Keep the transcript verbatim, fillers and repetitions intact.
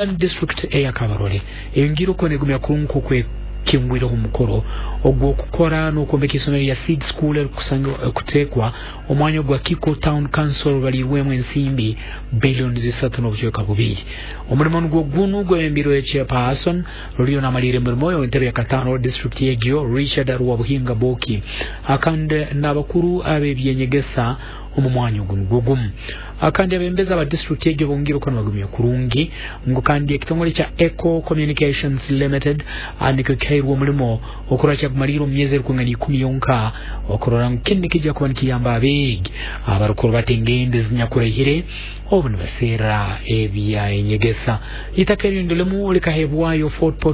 District eya Kabarole eyongiire okuba negumya kurungi kwekingwireho omukoro ogw'okukora n'okwombeka isomero lya Seed School erikuteekwa omwanya gwa Kiko Town Council balirwemu ensimbi billioni zisatu n'obucweka bubiri. Omulimo nugwo gunu gwebembirwe chairperson ruriyo namalire emirimo entebe ya katano district egyo Richard Rwabuhinga Boki, akandi n'abakuru ab'ebyenyegesa omu mwanya ogu nugwo gumu. Akandi abembezi aba district egyo bongire okuba nibagumya kurungi ngu kandi ekitongole kya Eco Communications Limited nikyo kihairwe omulimo okurora kyagumalire omu myezi erikwingana ikumi yonka okurora ngu kinu nikijja kuba nikiyamba abeegi abarukuru bata engendo ezinyakuraihire obu nibaseera ebyenyegesa. Itaka erindi limu likahebwayo Fort Portal.